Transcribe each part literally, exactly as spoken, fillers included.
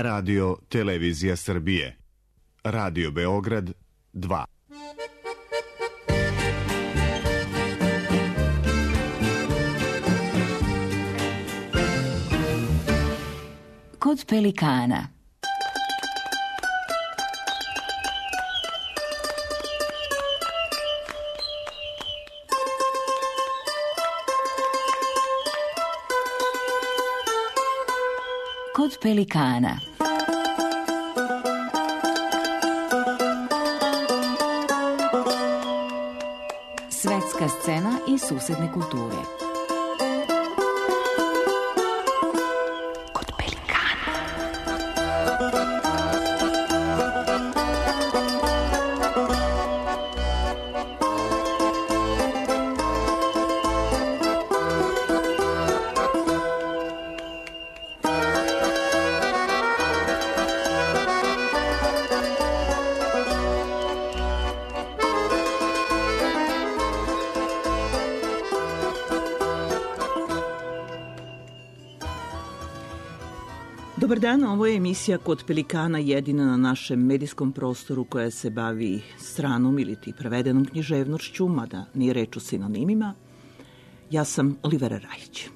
Radio Televizija Srbije. Radio Beograd dva. Kod pelikana. Kod pelikana. Svetska scena i susedne kulture. Kod pelikana. Dobar dan, ovo je emisija Kod pelikana, jedina na našem medijskom prostoru koja se bavi stranom ili ti prevedenom književnošću, mada nije reč o sinonimima. Ja sam Olivera Rajić.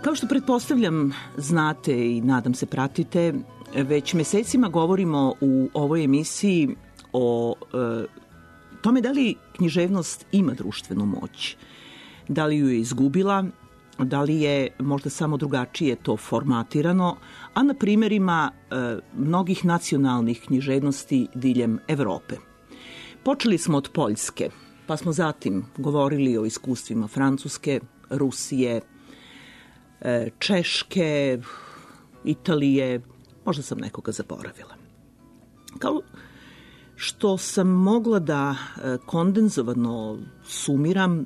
Kao što pretpostavljam, znate i nadam se pratite, već mesecima govorimo u ovoj emisiji o e, tome da li književnost ima društvenu moć, da li ju je izgubila, da li je možda samo drugačije to formatirano, a na primjerima e, mnogih nacionalnih književnosti diljem Evrope. Počeli smo od Poljske, pa smo zatim govorili o iskustvima Francuske, Rusije, e, Češke, Italije, možda sam nekoga zaboravila. Kao što sam mogla da e, kondenzovano sumiram,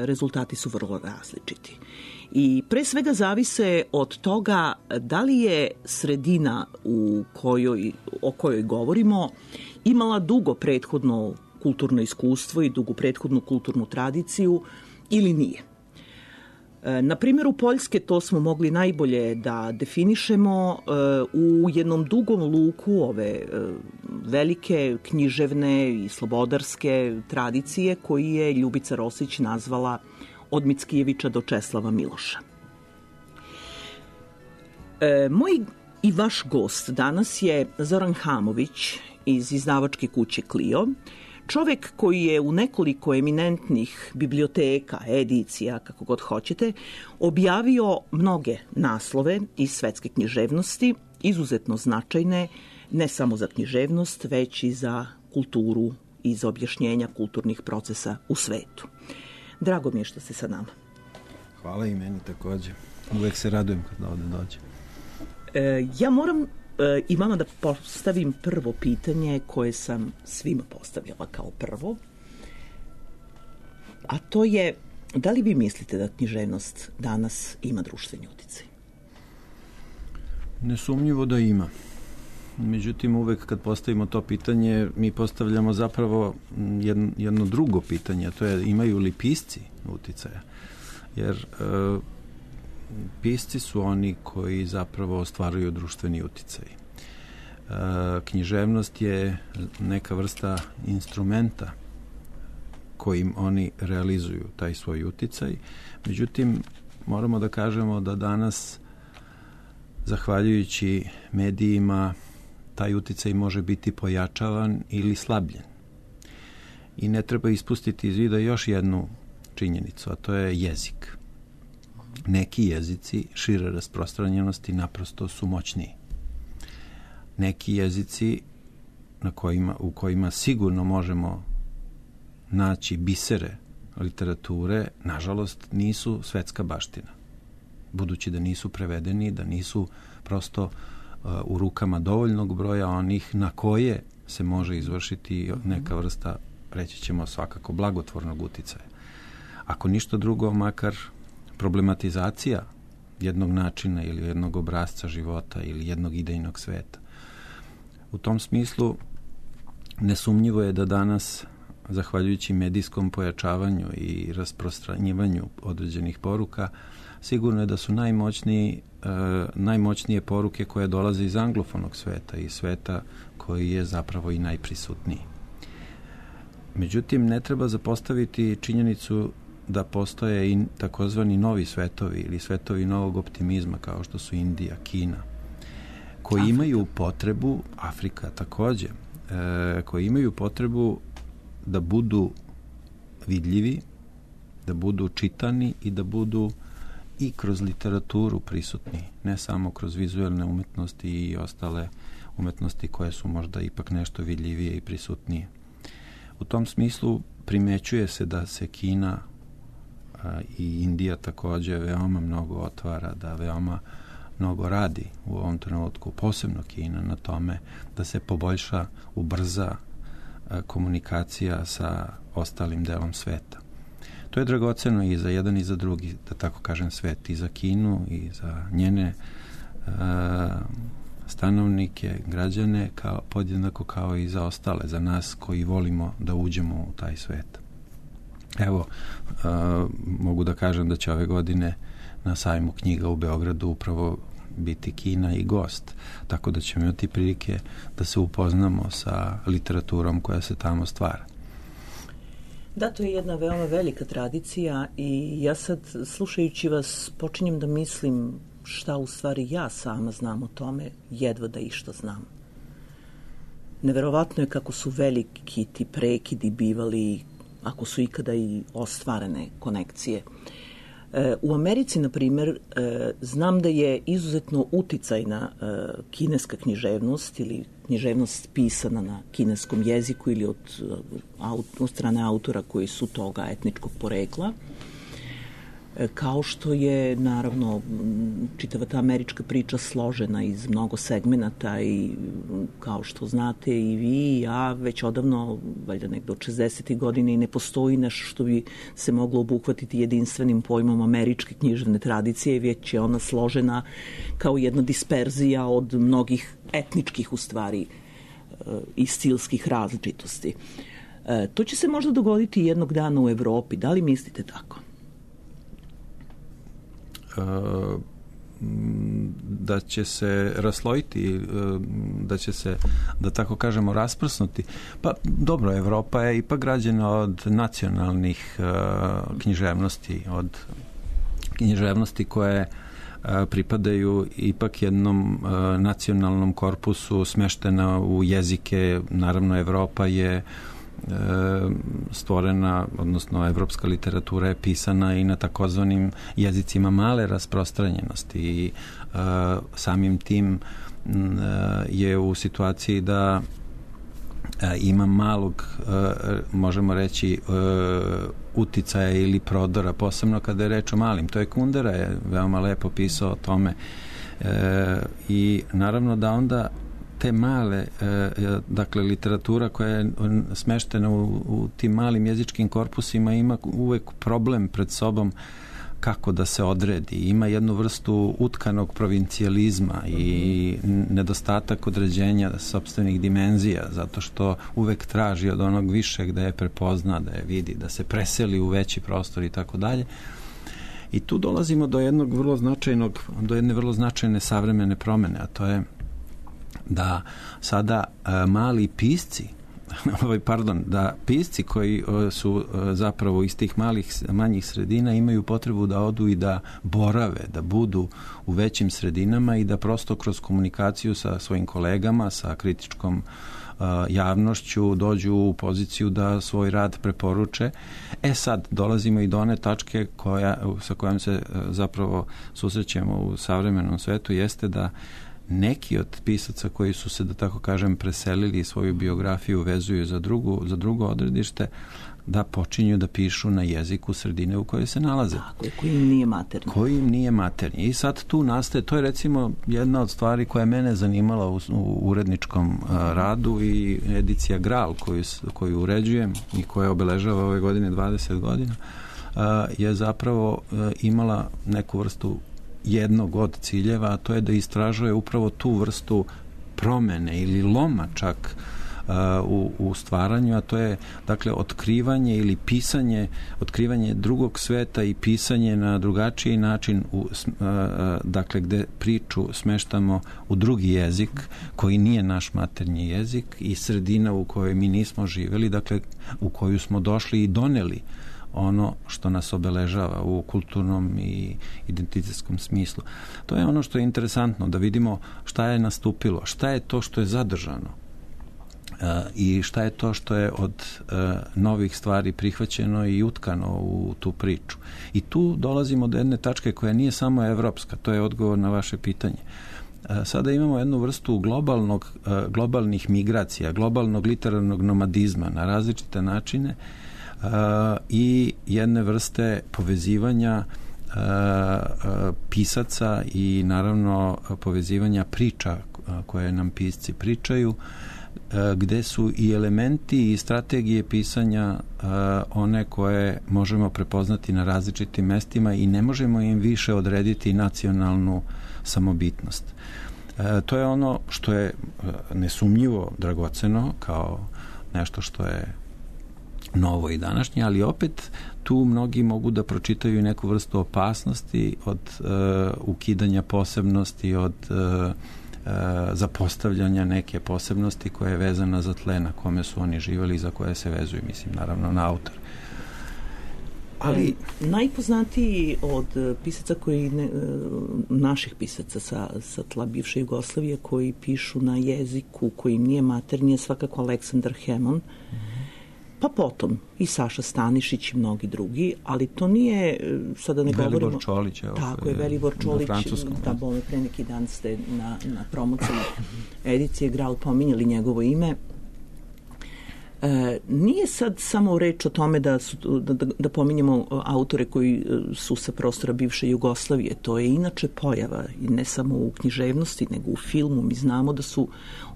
rezultati su vrlo različiti. I pre svega zavise od toga da li je sredina u kojoj, o kojoj govorimo imala dugo prethodno kulturno iskustvo i dugu prethodnu kulturnu tradiciju ili nije. Na primjeru Poljske to smo mogli najbolje da definišemo u jednom dugom luku ove velike književne i slobodarske tradicije koji je Ljubica Rosić nazvala od Mickijevića do Česlava Miloša. Moj i vaš gost danas je Zoran Hamović iz izdavačke kuće Clio, čovek koji je u nekoliko eminentnih biblioteka, edicija, kako god hoćete, objavio mnoge naslove iz svetske književnosti, izuzetno značajne, ne samo za književnost, već i za kulturu i za objašnjenja kulturnih procesa u svetu. Drago mi je što ste sa nama. Hvala i meni takođe. Uvek se radujem kad ovde dođem. E, ja moram i vama da postavim prvo pitanje koje sam svima postavljala kao prvo, a to je da li vi mislite da književnost danas ima društveni uticaj? Nesumnjivo da ima. Međutim, uvek kad postavimo to pitanje, mi postavljamo zapravo jedno, jedno drugo pitanje, a to je imaju li pisci uticaja? Jer e, pisci su oni koji zapravo ostvaruju društveni uticaj. E, književnost je neka vrsta instrumenta kojim oni realizuju taj svoj uticaj. Međutim, moramo da kažemo da danas, zahvaljujući medijima, taj uticaj može biti pojačavan ili slabljen. I ne treba ispustiti iz vida još jednu činjenicu, a to je jezik. Neki jezici šire rasprostranjenosti naprosto su moćniji. Neki jezici na kojima, u kojima sigurno možemo naći bisere literature, nažalost, nisu svetska baština. Budući da nisu prevedeni, da nisu prosto uh, u rukama dovoljnog broja onih na koje se može izvršiti neka vrsta, reći ćemo svakako, blagotvornog uticaja. Ako ništa drugo, makar problematizacija jednog načina ili jednog obrasca života ili jednog idejnog sveta. U tom smislu nesumnjivo je da danas, zahvaljujući medijskom pojačavanju i rasprostranjivanju određenih poruka, sigurno je da su najmoćniji, e, najmoćnije poruke koje dolaze iz anglofonog sveta i sveta koji je zapravo i najprisutniji. Međutim, ne treba zapostaviti činjenicu da postoje i takozvani novi svetovi ili svetovi novog optimizma kao što su Indija, Kina, koji Afrika. imaju potrebu, Afrika takođe, e, koji imaju potrebu da budu vidljivi, da budu čitani i da budu i kroz literaturu prisutni, ne samo kroz vizuelne umetnosti i ostale umetnosti koje su možda ipak nešto vidljivije i prisutnije. U tom smislu primećuje se da se Kina a, i Indija takođe veoma mnogo otvara, da veoma mnogo radi u ovom trenutku, posebno Kina, na tome da se poboljša, ubrza a, komunikacija sa ostalim delom sveta. To je dragoceno i za jedan i za drugi, da tako kažem, svet, i za Kinu i za njene a, stanovnike, građane, kao, podjednako kao i za ostale, za nas koji volimo da uđemo u taj svet. Evo, a, mogu da kažem da će ove godine na sajmu knjiga u Beogradu upravo biti Kina i gost, tako da ćemo imati prilike da se upoznamo sa literaturom koja se tamo stvara. Da, to je jedna veoma velika tradicija i ja sad, slušajući vas, počinjem da mislim šta u stvari ja sama znam o tome, jedva da išta znam. Neverovatno je kako su veliki ti prekidi bivali, ako su ikada i ostvarene konekcije. E, u Americi, na primjer, e, znam da je izuzetno uticajna e, kineska književnost ili književnost pisana na kineskom jeziku ili od, od strane autora koji su toga etničkog porekla. Kao što je, naravno, čitava ta američka priča složena iz mnogo segmenata i kao što znate i vi i ja, već odavno, valjda nekdo od šezdesetih godina, i ne postoji nešto što bi se moglo obuhvatiti jedinstvenim pojmom američke književne tradicije, već je ona složena kao jedna disperzija od mnogih etničkih, u stvari, i stilskih različitosti. To će se možda dogoditi jednog dana u Evropi. Da li mislite tako? Da će se raslojiti, da će se, da tako kažemo, rasprsnuti. Pa dobro, Evropa je ipak građena od nacionalnih književnosti, od književnosti koje pripadaju ipak jednom nacionalnom korpusu, smeštena u jezike. Naravno, Evropa je stvorena, odnosno evropska literatura je pisana i na takozvanim jezicima male rasprostranjenosti i uh, samim tim uh, je u situaciji da uh, ima malog, uh, možemo reći, uh, uticaja ili prodora, posebno kada je reč o malim. To je Kundera je veoma lepo pisao o tome uh, i naravno da onda te male, dakle, literatura koja je smeštena u, u tim malim jezičkim korpusima ima uvek problem pred sobom kako da se odredi. Ima jednu vrstu utkanog provincijalizma i nedostatak određenja sopstvenih dimenzija, zato što uvek traži od onog višeg da je prepozna, da je vidi, da se preseli u veći prostor i tako dalje. I tu dolazimo do jednog vrlo značajnog, do jedne vrlo značajne savremene promene, a to je da sada a, mali pisci, ovaj, pardon, da pisci koji a, su a, zapravo iz tih malih, manjih sredina imaju potrebu da odu i da borave, da budu u većim sredinama i da prosto kroz komunikaciju sa svojim kolegama, sa kritičkom a, javnošću dođu u poziciju da svoj rad preporuče. E sad, dolazimo i do one tačke koja, sa kojom se a, zapravo susrećemo u savremenom svetu, jeste da neki od pisaca koji su se, da tako kažem, preselili i svoju biografiju vezuju za, drugu, za drugo odredište, da počinju da pišu na jeziku sredine u kojoj se nalaze. Tako, koji im nije maternji. Koji im nije maternji. I sad tu nastaje, to je recimo jedna od stvari koja je mene zanimala u, u uredničkom a, radu i edicija Gral koju, koju uređujem i koja obeležava ove godine dvadeset godina, a, je zapravo a, imala neku vrstu jednog od ciljeva, a to je da istražuje upravo tu vrstu promene ili loma čak u, u stvaranju, a to je dakle otkrivanje ili pisanje, otkrivanje drugog sveta i pisanje na drugačiji način u, dakle gde priču smeštamo u drugi jezik koji nije naš maternji jezik i sredina u kojoj mi nismo živeli, dakle u koju smo došli i doneli ono što nas obeležava u kulturnom i identitetskom smislu. To je ono što je interesantno, da vidimo šta je nastupilo, šta je to što je zadržano uh, i šta je to što je od uh, novih stvari prihvaćeno i utkano u tu priču. I tu dolazimo do jedne tačke koja nije samo evropska, to je odgovor na vaše pitanje. Uh, sada imamo jednu vrstu globalnog, uh, globalnih migracija, globalnog literarnog nomadizma na različite načine, Uh, i jedne vrste povezivanja uh, uh, pisaca i naravno povezivanja priča uh, koje nam pisci pričaju, uh, gde su i elementi i strategije pisanja uh, one koje možemo prepoznati na različitim mestima i ne možemo im više odrediti nacionalnu samobitnost. Uh, to je ono što je uh, nesumnjivo dragoceno kao nešto što je novo i današnje, ali opet tu mnogi mogu da pročitaju neku vrstu opasnosti od uh, ukidanja posebnosti, od uh, uh, zapostavljanja neke posebnosti koja je vezana za tle na kome su oni živjeli i za koje se vezuju, mislim, naravno na autor. Ali najpoznatiji od pisaca koji ne, naših pisaca sa, sa tla bivše Jugoslavije koji pišu na jeziku koji nije maternji je svakako Aleksandar Hemon, pa potom i Saša Stanišić i mnogi drugi, ali to nije, sada ne Velibor govorimo... Čolić, evo, tako je, Velibor Čolić, da bome pre neki dan ste na, na promociji edicije Graal pominjali njegovo ime. E, nije sad samo reč o tome da, su, da, da, da pominjemo autore koji su sa prostora bivše Jugoslavije. To je inače pojava, ne samo u književnosti, nego u filmu. Mi znamo da su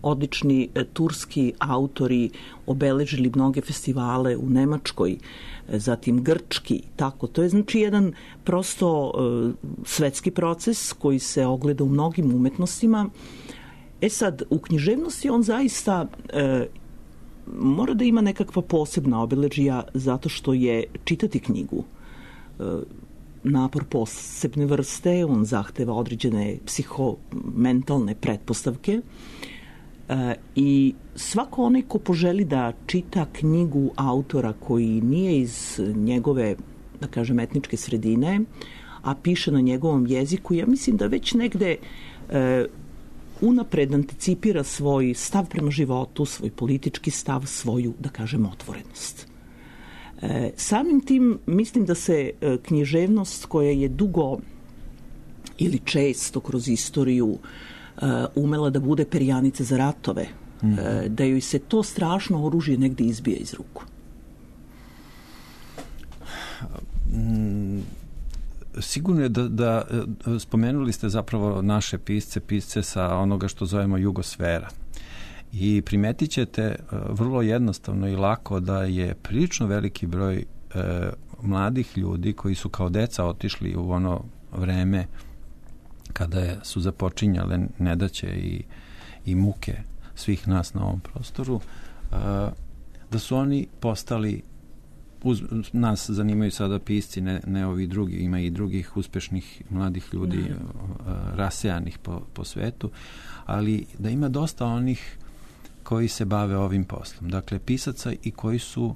odlični e, turski autori obeležili mnoge festivale u Nemačkoj, e, zatim grčki, tako. To je znači jedan prosto e, svetski proces koji se ogleda u mnogim umetnostima. E sad, u književnosti on zaista... E, mora da ima nekakva posebna obeležija zato što je čitati knjigu e, napor posebne vrste, on zahteva određene psihomentalne pretpostavke e, i svako onaj ko poželi da čita knjigu autora koji nije iz njegove, da kažem, etničke sredine, a piše na njegovom jeziku, ja mislim da već negde e, unapred anticipira svoj stav prema životu, svoj politički stav, svoju, da kažem, otvorenost. E, samim tim mislim da se e, književnost koja je dugo ili često kroz istoriju e, umela da bude perjanica za ratove, mm. e, da joj se to strašno oružje negde izbija iz ruku. Mm. Sigurno je da, da spomenuli ste zapravo naše pisce, pisce sa onoga što zovemo jugosfera. I primetit ćete vrlo jednostavno i lako da je prilično veliki broj e, mladih ljudi koji su kao deca otišli u ono vreme kada je, su započinjale nedaće i, i muke svih nas na ovom prostoru, e, da su oni postali... Uz, nas zanimaju sada pisci, ne, ne ovi drugi, ima i drugih uspešnih mladih ljudi ne. rasejanih po, po svetu, ali da ima dosta onih koji se bave ovim poslom. Dakle, pisaca i koji su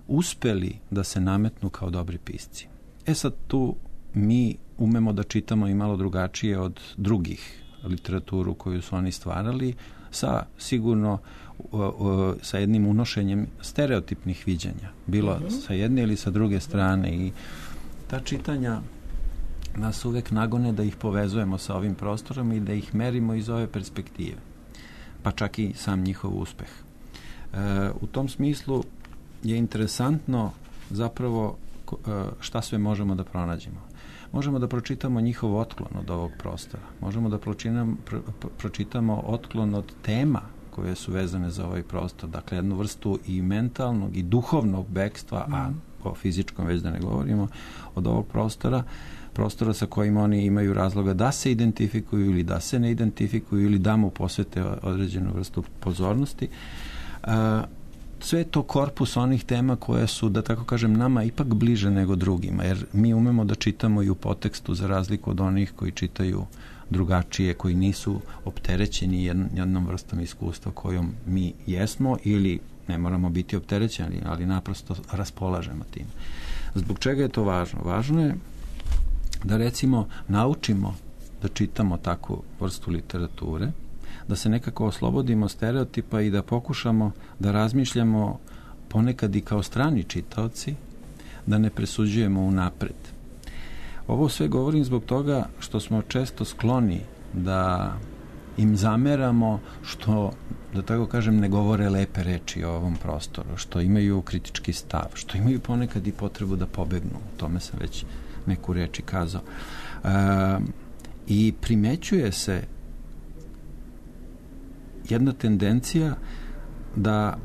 uspeli da se nametnu kao dobri pisci. E sad tu mi umemo da čitamo i malo drugačije od drugih literaturu koju su oni stvarali, sa sigurno uh, uh, sa jednim unošenjem stereotipnih viđenja, bilo uh-huh. sa jedne ili sa druge strane, i ta čitanja nas uvek nagone da ih povezujemo sa ovim prostorom i da ih merimo iz ove perspektive, pa čak i sam njihov uspeh. Uh, u tom smislu je interesantno zapravo uh, šta sve možemo da pronađemo. Možemo da pročitamo njihov otklon od ovog prostora. Možemo da pročinam, pro, pročitamo otklon od tema koje su vezane za ovaj prostor. Dakle, jednu vrstu i mentalnog i duhovnog bekstva, mm. a o fizičkom već da ne govorimo, od ovog prostora, prostora sa kojim oni imaju razloga da se identifikuju ili da se ne identifikuju ili da mu posvete određenu vrstu pozornosti. A, sve je to korpus onih tema koje su, da tako kažem, nama ipak bliže nego drugima, jer mi umemo da čitamo i u podtekstu za razliku od onih koji čitaju drugačije, koji nisu opterećeni jednom vrstom iskustva kojom mi jesmo ili ne moramo biti opterećeni, ali naprosto raspolažemo tim. Zbog čega je to važno? Važno je da recimo naučimo da čitamo takvu vrstu literature, da se nekako oslobodimo stereotipa i da pokušamo da razmišljamo ponekad i kao strani čitaoci, da ne presuđujemo unapred. Ovo sve govorim zbog toga što smo često skloni da im zameramo što, da tako kažem, ne govore lepe reči o ovom prostoru, što imaju kritički stav, što imaju ponekad i potrebu da pobegnu. O tome sam već neku reči kazao. E, I primećuje se jedna tendencija da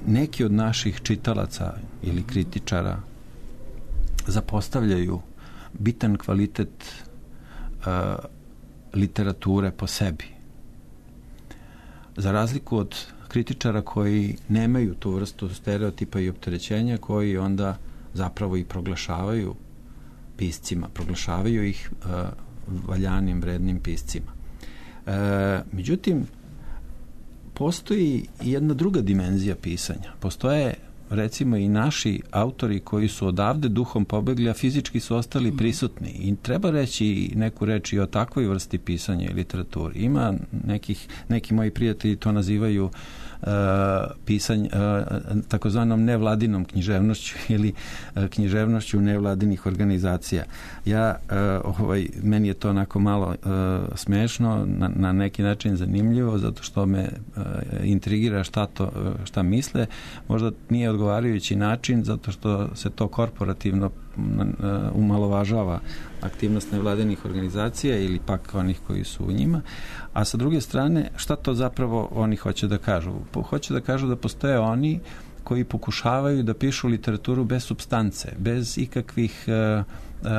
neki od naših čitalaca ili kritičara zapostavljaju bitan kvalitet uh, literature po sebi. Za razliku od kritičara koji nemaju tu vrstu stereotipa i opterećenja, koji onda zapravo i proglašavaju piscima, proglašavaju ih uh, valjanim, vrednim piscima. Uh, međutim, postoji jedna druga dimenzija pisanja. Postoje recimo i naši autori koji su odavde duhom pobegli, a fizički su ostali prisutni. I treba reći neku reč i o takvoj vrsti pisanja i literaturi. Ima nekih, neki moji prijatelji to nazivaju uh, pisanje, uh, takozvanom nevladinom književnošću ili uh, književnošću nevladinih organizacija. Ja, uh, ovaj, meni je to onako malo uh, smešno, na, na neki način zanimljivo, zato što me uh, intrigira šta, to, uh, šta misle. Možda nije odgovarajući način, zato što se to korporativno umalovažava aktivnost nevladinih organizacija ili pak onih koji su u njima. A sa druge strane, šta to zapravo oni hoće da kažu? Hoće da kažu da postoje oni koji pokušavaju da pišu literaturu bez supstance, bez ikakvih uh, uh,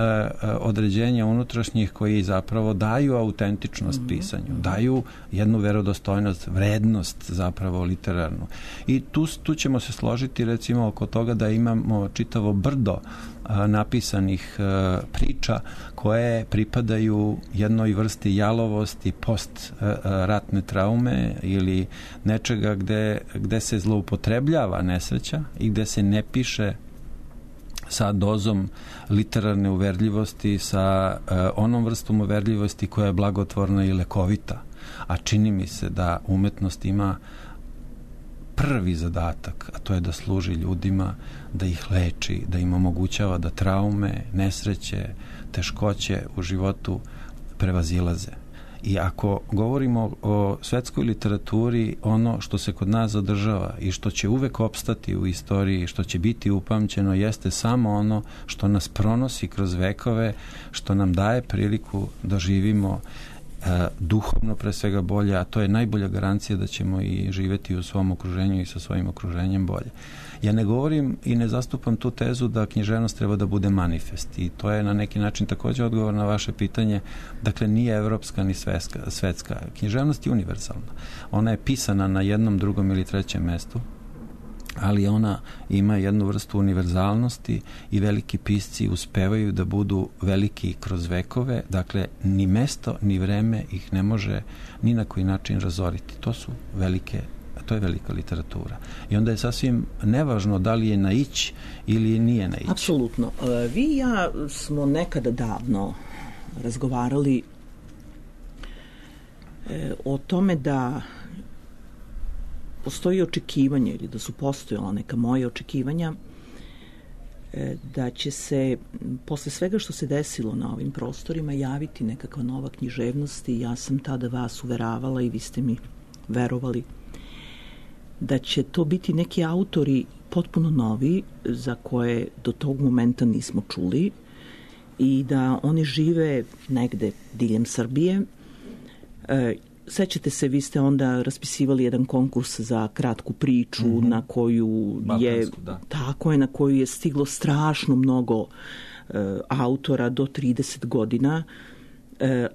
određenja unutrašnjih koji zapravo daju autentičnost mm-hmm. pisanju, daju jednu verodostojnost, vrednost zapravo literarnu. I tu, tu ćemo se složiti recimo oko toga da imamo čitavo brdo a, napisanih a, priča koje pripadaju jednoj vrsti jalovosti, post a, a, ratne traume ili nečega gde, gde se zloupotrebljava nesreća i gde se ne piše sa dozom literarne uverljivosti, sa uh, onom vrstom uverljivosti koja je blagotvorna i lekovita. A čini mi se da umetnost ima prvi zadatak, a to je da služi ljudima, da ih leči, da im omogućava da traume, nesreće, teškoće u životu prevazilaze. I ako govorimo o svetskoj literaturi, ono što se kod nas zadržava i što će uvek opstati u istoriji, što će biti upamćeno, jeste samo ono što nas pronosi kroz vekove, što nam daje priliku da živimo e, duhovno pre svega bolje, a to je najbolja garancija da ćemo i živeti u svom okruženju i sa svojim okruženjem bolje. Ja ne govorim i ne zastupam tu tezu da književnost treba da bude manifest i to je na neki način također odgovor na vaše pitanje. Dakle, nije evropska ni svetska. svetska. Književnost je univerzalna. Ona je pisana na jednom, drugom ili trećem mestu, ali ona ima jednu vrstu univerzalnosti i veliki pisci uspevaju da budu veliki kroz vekove. Dakle, ni mesto, ni vreme ih ne može ni na koji način razoriti. To su velike To je velika literatura. I onda je sasvim nevažno da li je na ić ili nije na ić. Apsolutno. Vi i ja smo nekada davno razgovarali o tome da postoji očekivanje ili da su postojala neka moja očekivanja da će se posle svega što se desilo na ovim prostorima javiti nekakva nova književnost i ja sam tada vas uveravala i vi ste mi verovali da će to biti neki autori potpuno novi za koje do tog momenta nismo čuli i da oni žive negde diljem Srbije. E, sećate se, vi ste onda raspisivali jedan konkurs za kratku priču mm-hmm. na koju je da. tako je, na koju je stiglo strašno mnogo e, autora do trideset godina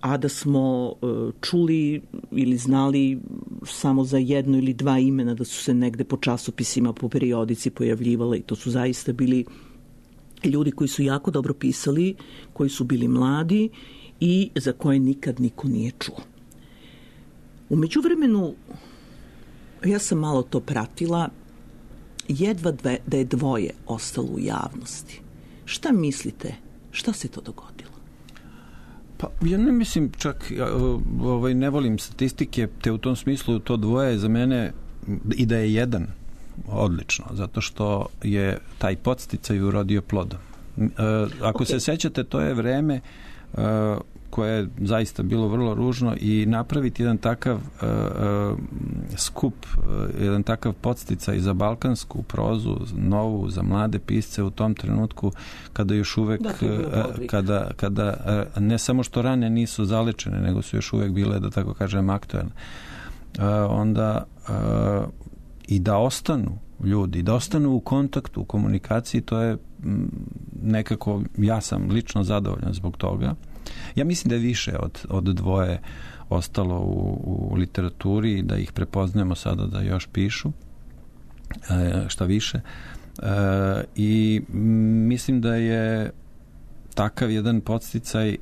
a da smo čuli ili znali samo za jedno ili dva imena da su se negde po časopisima, po periodici pojavljivale i to su zaista bili ljudi koji su jako dobro pisali, koji su bili mladi i za koje nikad niko nije čuo. U međuvremenu, ja sam malo to pratila, jedva dve, da je dvoje ostalo u javnosti. Šta mislite? Šta se to dogodilo? Pa ja ne mislim čak, ovaj, ne volim statistike, te u tom smislu to dvoje za mene i da je jedan odlično, zato što je taj podsticaj urodio plodom. E, ako okay. se sećate, to je vreme e, koje je zaista bilo vrlo ružno i napraviti jedan takav e, e, skup, e, jedan takav podsticaj za balkansku prozu, novu, za mlade pisce u tom trenutku kada još uvek, da, e, kada, kada e, ne samo što rane nisu zalečene, nego su još uvek bile, da tako kažem, aktuelne. E, onda e, i da ostanu ljudi, da ostanu u kontaktu, u komunikaciji, to je nekako, ja sam lično zadovoljan zbog toga. Ja mislim da je više od, od dvoje ostalo u, u literaturi i da ih prepoznajemo sada da još pišu, e, šta više. E, I mislim da je takav jedan podsticaj e,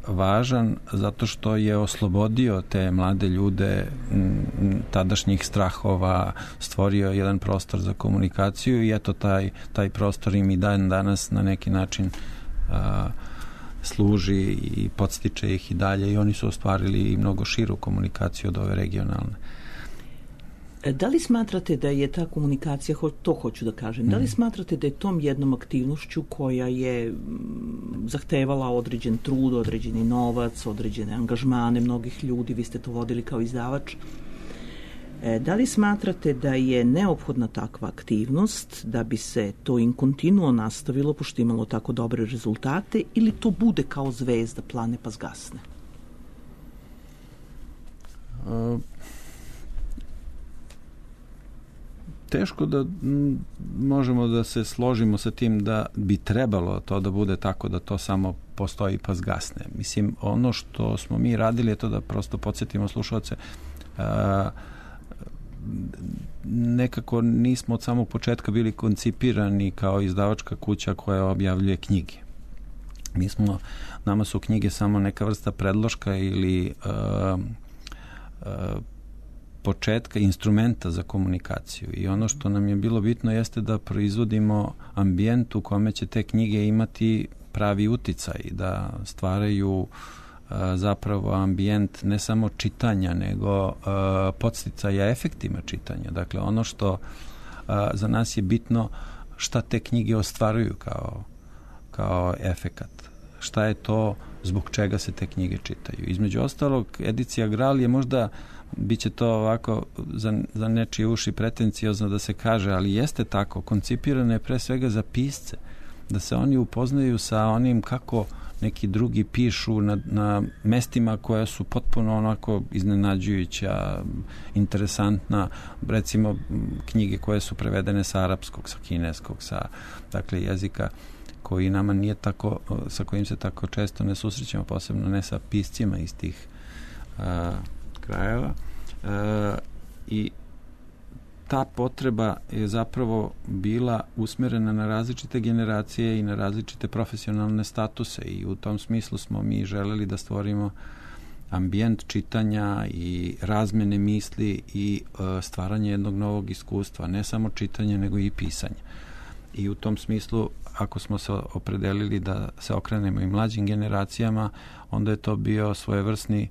važan zato što je oslobodio te mlade ljude m, tadašnjih strahova, stvorio jedan prostor za komunikaciju i eto taj, taj prostor im i dan danas na neki način a, služi i podstiče ih i dalje i oni su ostvarili i mnogo širu komunikaciju od ove regionalne. Da li smatrate da je ta komunikacija, to hoću da kažem, mm. da li smatrate da je tom jednom aktivnošću koja je zahtevala određen trud, određeni novac, određene angažmane mnogih ljudi, vi ste to vodili kao izdavač, da li smatrate da je neophodna takva aktivnost da bi se to in continuo nastavilo pošto imalo tako dobre rezultate ili to bude kao zvezda plane pa zgasne? Uh... Teško da m, možemo da se složimo sa tim da bi trebalo to da bude tako da to samo postoji pa zgasne. Mislim, ono što smo mi radili je to da prosto podsjetimo slušalce, a, nekako nismo od samog početka bili koncipirani kao izdavačka kuća koja objavljuje knjige. Mi smo, nama su knjige samo neka vrsta predloška ili a, a, početka instrumenta za komunikaciju i ono što nam je bilo bitno jeste da proizvodimo ambijent u kome će te knjige imati pravi uticaj, da stvaraju a, zapravo ambijent ne samo čitanja, nego a, podsticaja efektima čitanja. Dakle, ono što a, za nas je bitno šta te knjige ostvaruju kao, kao efekat. Šta je to zbog čega se te knjige čitaju. Između ostalog, edicija Graal je možda biće to ovako za, za nečije uši pretenciozno da se kaže, ali jeste tako, koncipirano je pre svega za pisce, da se oni upoznaju sa onim kako neki drugi pišu na, na mestima koja su potpuno onako iznenađujuća, interesantna, recimo knjige koje su prevedene sa arapskog, sa kineskog, sa dakle jezika koji nama nije tako, sa kojim se tako često ne susrećemo, posebno ne sa piscima iz tih a, krajeva. E, i ta potreba je zapravo bila usmerena na različite generacije i na različite profesionalne statuse i u tom smislu smo mi želeli da stvorimo ambijent čitanja i razmene misli i e, stvaranje jednog novog iskustva, ne samo čitanje nego i pisanje. I u tom smislu, ako smo se opredelili da se okrenemo i mlađim generacijama, onda je to bio svojevrsni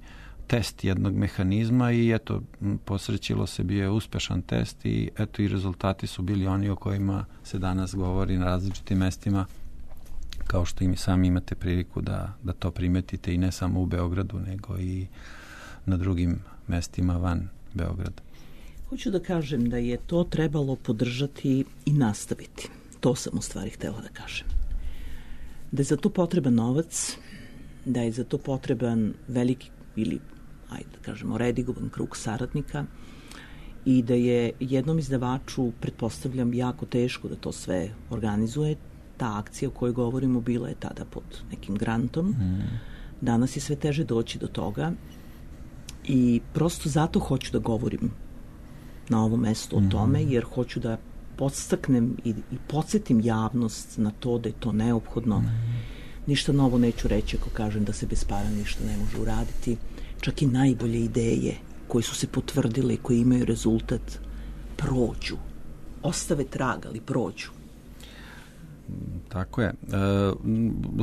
test jednog mehanizma i eto, posrećilo se, bio je uspešan test i eto i rezultati su bili oni o kojima se danas govori na različitim mestima, kao što i mi sami imate priliku da, da to primetite i ne samo u Beogradu, nego i na drugim mestima van Beograda. Hoću da kažem da je to trebalo podržati i nastaviti. To sam u stvari htela da kažem. Da je za to potreban novac, da je za to potreban veliki ili, ajde da kažemo, redigovan krug saradnika i da je jednom izdavaču, pretpostavljam, jako teško da to sve organizuje. Ta akcija o kojoj govorimo bila je tada pod nekim grantom. Mm. Danas je sve teže doći do toga i prosto zato hoću da govorim na ovom mestu o tome, jer hoću da podstaknem i, i podsjetim javnost na to da je to neophodno. Ništa novo neću reći ako kažem da se bez para ništa ne može uraditi. Čak i najbolje ideje koje su se potvrdile i koje imaju rezultat prođu. Ostave trag, ali prođu. Tako je. E,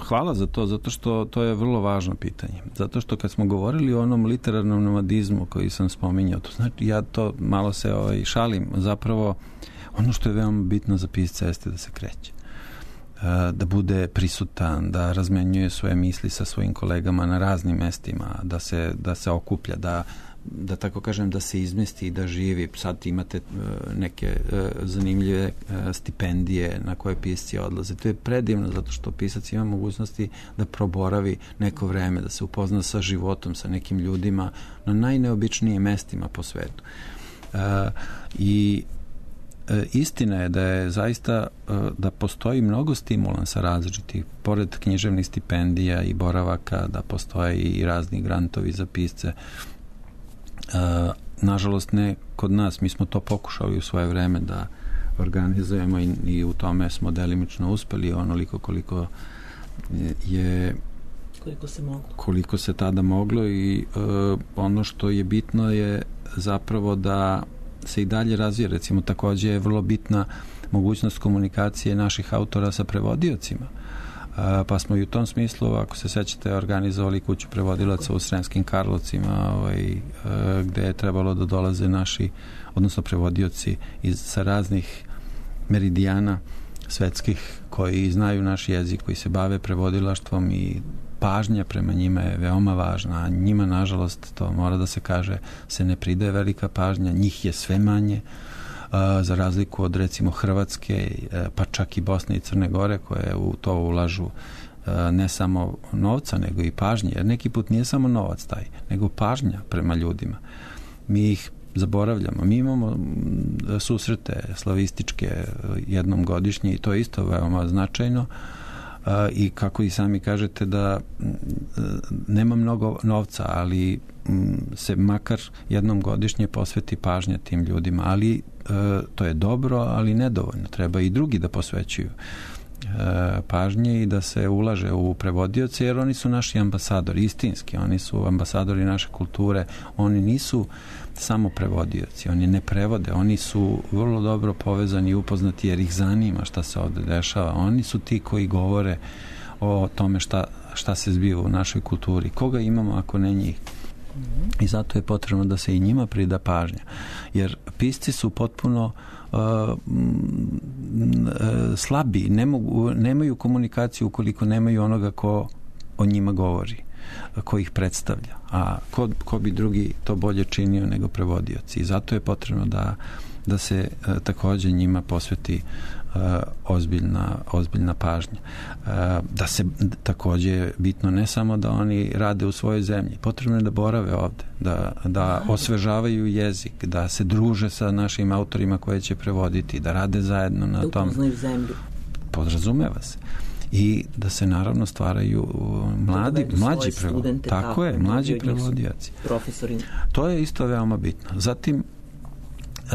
hvala za to, zato što to je vrlo važno pitanje. Zato što kad smo govorili o onom literarnom nomadizmu koji sam spominjao, to znači ja to malo se ovaj, šalim. Zapravo, ono što je veoma bitno za pisca jeste da se kreće. E, da bude prisutan, da razmenjuje svoje misli sa svojim kolegama na raznim mestima, da se, da se okuplja, da da tako kažem, da se izmesti i da živi. Sad imate uh, neke uh, zanimljive uh, stipendije na koje pisci odlaze. To je predivno zato što pisac ima mogućnosti da proboravi neko vreme, da se upozna sa životom, sa nekim ljudima na najneobičnijim mestima po svetu. Uh, I uh, istina je da je zaista uh, da postoji mnogo stimulansa različitih, pored književnih stipendija i boravaka, da postoje i razni grantovi za pisce. Uh, nažalost ne kod nas, mi smo to pokušali u svoje vreme da organizujemo i, i u tome smo delimično uspeli onoliko koliko je koliko se moglo koliko se tada moglo i uh, ono što je bitno je zapravo da se i dalje razvije. Recimo takođe je vrlo bitna mogućnost komunikacije naših autora sa prevodiocima. Pa smo i u tom smislu, ako se sećate, organizovali kuću prevodilaca u Sremskim Karlovcima, ovaj, gde je trebalo da dolaze naši, odnosno prevodioci iz, sa raznih meridijana svetskih koji znaju naš jezik, koji se bave prevodilaštvom i pažnja prema njima je veoma važna. A njima, nažalost, to mora da se kaže, se ne pridaje velika pažnja, njih je sve manje, za razliku od recimo Hrvatske, pa čak i Bosne i Crne Gore koje u to ulažu ne samo novca nego i pažnje, jer neki put nije samo novac taj, nego pažnja prema ljudima. Mi ih zaboravljamo. Mi imamo susrete slavističke jednom godišnje i to je isto veoma značajno i kako i sami kažete da nema mnogo novca, ali se makar jednom godišnje posveti pažnja tim ljudima, ali to je dobro, ali nedovoljno. Treba i drugi da posvećuju pažnje i da se ulaže u prevodioce, jer oni su naši ambasadori, istinski, oni su ambasadori naše kulture, oni nisu samo prevodioci, oni ne prevode, oni su vrlo dobro povezani i upoznati jer ih zanima šta se ovde dešava, oni su ti koji govore o tome šta, šta se zbiva u našoj kulturi, koga imamo ako ne njih. I zato je potrebno da se i njima prida pažnja, jer pisci su potpuno uh, slabi, ne mogu, nemaju komunikaciju ukoliko nemaju onoga ko o njima govori, ko ih predstavlja, a ko, ko bi drugi to bolje činio nego prevodioci. I zato je potrebno da, da se uh, takođe njima posveti uh, ozbiljna, ozbiljna pažnja. Uh, da se takođe bitno ne samo da oni rade u svojoj zemlji, potrebno je da borave ovde, da, da osvežavaju jezik, da se druže sa našim autorima koje će prevoditi, da rade zajedno na tom. Da upoznaju zemlju. Podrazumeva se. I da se naravno stvaraju mladi, da mlađi prevodioci. Tako, tako je, mlađi prevodioci. Profesori. To je isto veoma bitno. Zatim, Uh,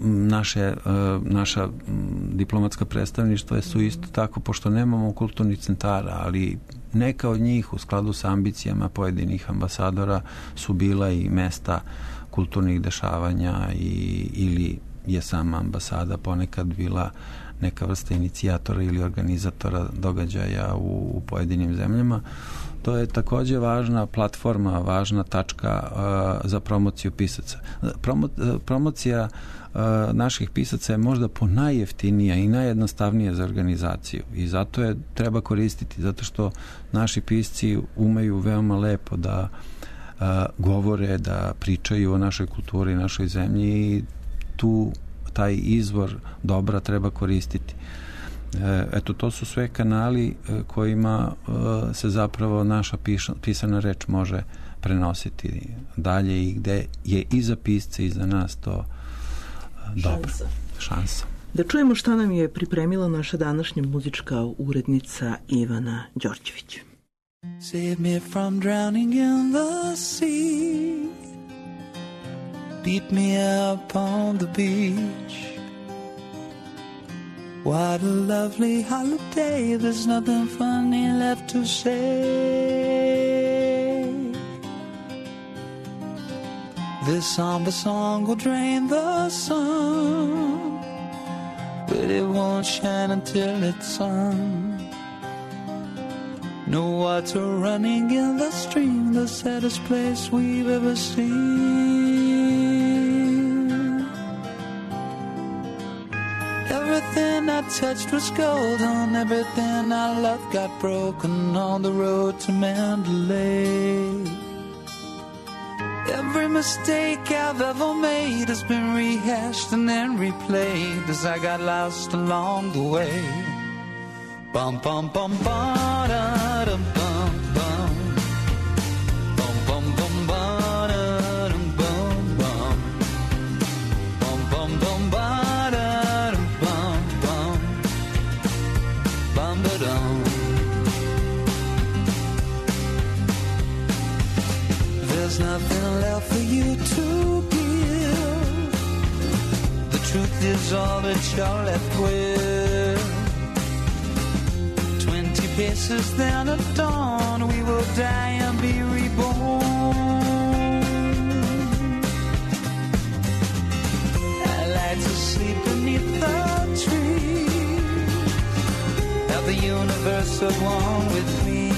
naše, uh, naša um, diplomatska predstavništva su isto tako, pošto nemamo kulturnih centara, ali neka od njih u skladu sa ambicijama pojedinih ambasadora su bila i mesta kulturnih dešavanja i, ili je sama ambasada ponekad bila neka vrsta inicijatora ili organizatora događaja u, u pojedinim zemljama. To je takođe važna platforma, važna tačka uh, za promociju pisaca. Promo, promocija uh, naših pisaca je možda po najjeftinija i najjednostavnija za organizaciju i zato je treba koristiti, zato što naši pisci umeju veoma lepo da uh, govore, da pričaju o našoj kulturi, našoj zemlji i tu taj izvor dobra treba koristiti. Eto, to su sve kanali kojima se zapravo naša pisana reč može prenositi dalje i gde je i za pisce i za nas to dobro. Šansa. Šansa. Da čujemo šta nam je pripremila naša današnja muzička urednica Ivana Đorđević. Save me from drowning in the sea. Beat me up on the beach. What a lovely holiday. There's nothing funny left to say. This somber song will drain the sun, but it won't shine until it's sung. No water running in the stream, the saddest place we've ever seen. Everything I touched was golden, everything I loved got broken on the road to Mandalay. Every mistake I've ever made has been rehashed and then replayed as I got lost along the way. Bum bum bum ba da dum bum bum. Bum bum bum ba da dum bum bum. Bum bum bum ba da dum bum bum. Bum ba dum. There's nothing left for you to give. The truth is all that you're left with. Twenty paces then at dawn, we will die and be reborn. I like to sleep beneath the trees, have the universe at one with me.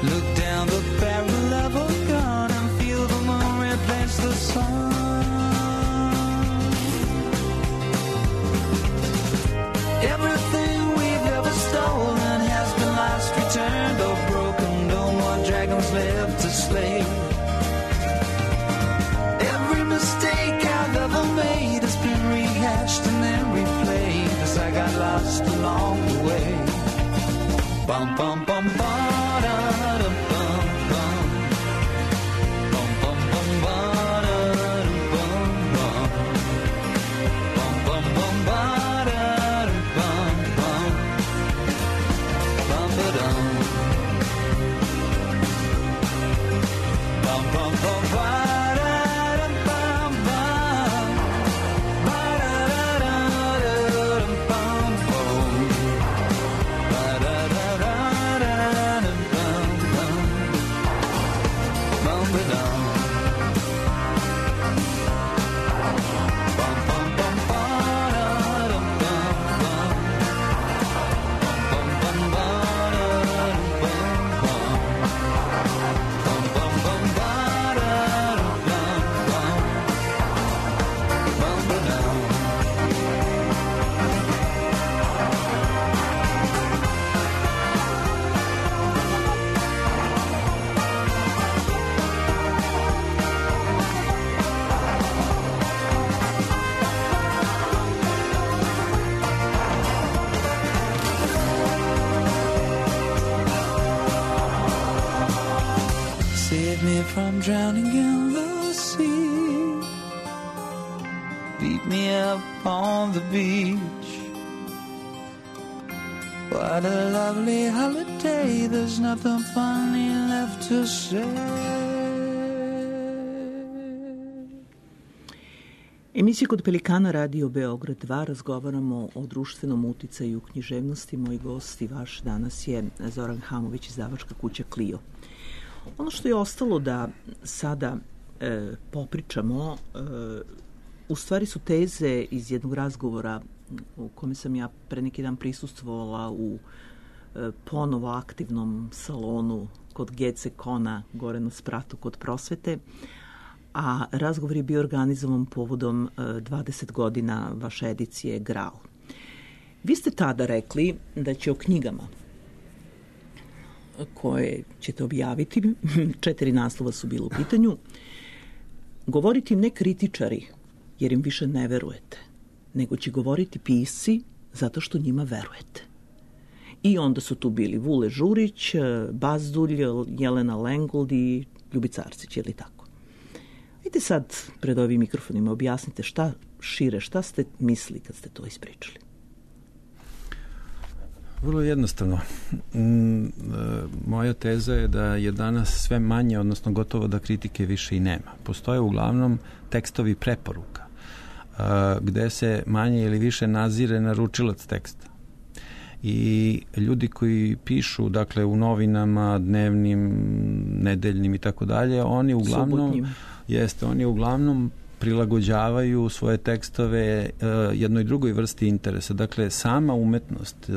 Look down the barrel of a gun and feel the moon replace the sun. Everything we've ever stolen has been lost, returned, or broken. No more dragons left to slay. Every mistake I've ever made has been rehashed and then replayed as I got lost along the way. Bum bum bum ba da dum bum bum. Bum bum bum ba da dum bum bum. Bum bum bum ba da dum bum bum. Bum ba dum. Bum bum bum ba da dum bum bum. Ba da da da dum bum bum. Ba da da da da dum bum bum. Bum ba dum. Bum bum bum ba da dum bum bum. Bum bum ba da dum bum bum. Bum bum bum ba da dum bum bum. Bum ba dum. Save me from drowning in the sea. Beat me up on the beach. What a lovely holiday. There's nothing funny left to say. Emisija Kod Pelikana, Radio Beograd dva, razgovaramo o društvenom uticaju književnosti. Moj gost i vaš danas je Zoran Hamović, izdavačka kuća Clio. Ono što je ostalo da sada e, popričamo, e, u stvari su teze iz jednog razgovora u kome sam ja pre neki dan prisustvovala u e, ponovo aktivnom salonu kod G C Kona, gore na spratu kod Prosvete, a razgovor je bio organizovan povodom e, dvadeset godina vaše edicije Graal. Vi ste tada rekli da će o knjigama koje ćete objaviti, četiri naslova su bilo u pitanju, govoriti ne kritičari, jer im više ne verujete, nego će govoriti pisci zato što njima verujete. I onda su tu bili Vule Žurić, Bazdulj, Jelena Lengold i Ljubica Arsić, je li tako? Vidite sad pred ovim mikrofonima, objasnite šta šire, šta ste mislili kad ste to ispričali? Vrlo jednostavno. Moja teza je da je danas sve manje, odnosno gotovo da kritike više i nema. Postoje uglavnom tekstovi preporuka, gde se manje ili više nazire naručilac teksta. I ljudi koji pišu, dakle, u novinama, dnevnim, nedeljnim i tako dalje, oni uglavnom... Subotnjim. Jeste, oni uglavnom prilagođavaju svoje tekstove uh, jednoj drugoj vrsti interesa. Dakle, sama umetnost, uh,